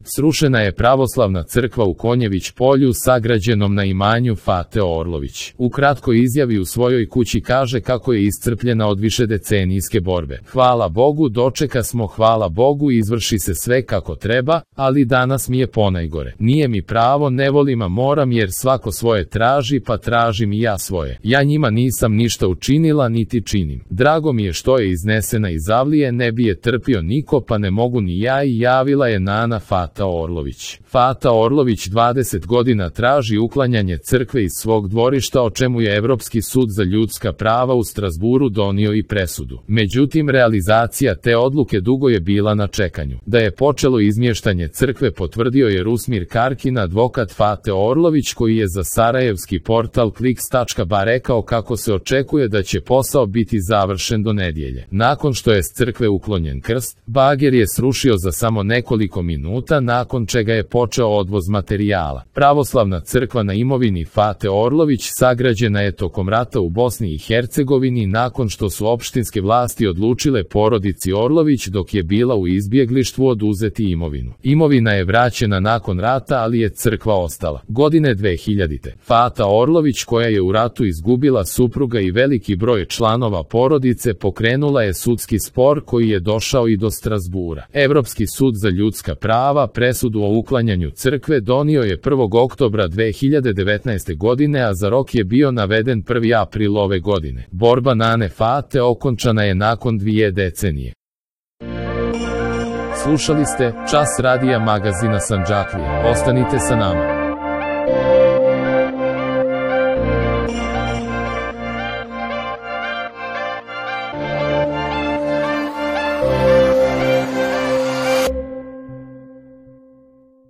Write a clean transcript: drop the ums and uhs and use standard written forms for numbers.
Srušena je pravoslavna crkva u Konjević polju sagrađenom na imanju Fate Orlović. U kratkoj izjavi u svojoj kući kaže kako je iscrpljena od višedecenijske borbe. Hvala Bogu, dočeka smo, hvala Bogu, izvrši se sve kako treba, ali danas mi je ponajgore. Nije mi pravo, ne volim a moram jer svako svoje traži, pa tražim i ja svoje. Ja njima nisam ništa učinila niti činim. Drago mi je što je iznesena iz avlije, ne bi je trpio niko pa ne mogu ni ja, i javila je Nana Fata Orlović. Fata Orlović 20 godina traži uklanjanje crkve iz svog dvorišta, o čemu je Evropski sud za ljudska prava u Strazburu donio i presudu. Međutim, realizacija te odluke dugo je bila na čekanju. Da je počelo izmještanje crkve potvrdio je Rusmir Karkin, advokat Fate Orlović, koji je za sarajevski portal Kliks.ba rekao kako se očekuje da će posao biti završen do nedjelje. Nakon što je s crkve uklonjen krst, bager je srušio za samo nekoliko minuta, nakon čega je počeo odvoz materijala. Pravoslavna crkva na imovini Fate Orlović sagrađena je tokom rata u Bosni i Hercegovini nakon što su opštinske vlasti odlučile porodici Orlović dok je bila u izbjeglištvu oduzeti imovinu. Imovina je vraćena nakon rata, ali je crkva ostala. Godine 2000. Fata Orlović, koja je u ratu izgubila supruga i veliki broj članova porodice, pokrenula je sudski spor koji je došao i do Strazbura. Evropski sud za ljudska prava presudu o uklanjanju crkve donio je 1. oktobra 2019. godine, a za rok je bio naveden 1. april ove godine. Borba Nane Fate okončana je nakon 2 decenije. Slušali ste Čas radija magazina Sandžaklija. Ostanite sa nama.